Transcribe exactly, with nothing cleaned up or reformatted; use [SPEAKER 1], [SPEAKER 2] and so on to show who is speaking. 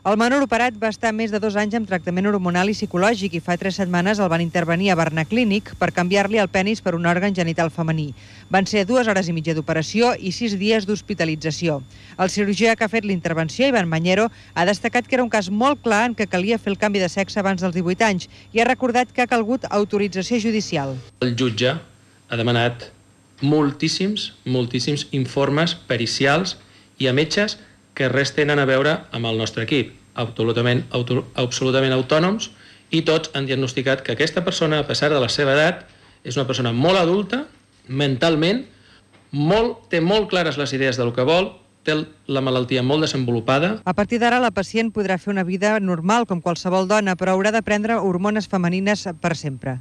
[SPEAKER 1] El menor operat va estar més de dos anys amb tractament hormonal i psicològic i fa tres setmanes el van intervenir a Barnaclínic per canviar-li el penis per un òrgan genital femení. Van ser dues hores i mitja d'operació i sis dies d'hospitalització. El cirurgià que ha fet l'intervenció, Ivan Mañero, ha destacat que era un cas molt clar en què calia fer el canvi de sexe abans dels divuit anys i ha recordat que ha calgut autorització judicial.
[SPEAKER 2] El jutge ha demanat moltíssims, moltíssims informes pericials i a metges que res tenen a veure amb el nostre equip, absolutament, auto, absolutament autònoms, i tots han diagnosticat que aquesta persona, a pesar de la seva edat, és una persona molt adulta, mentalment, molt, té molt clares les idees del que vol, té la malaltia molt desenvolupada.
[SPEAKER 1] A partir d'ara, la pacient podrà fer una vida normal com qualsevol dona, però haurà de prendre hormones femenines per sempre.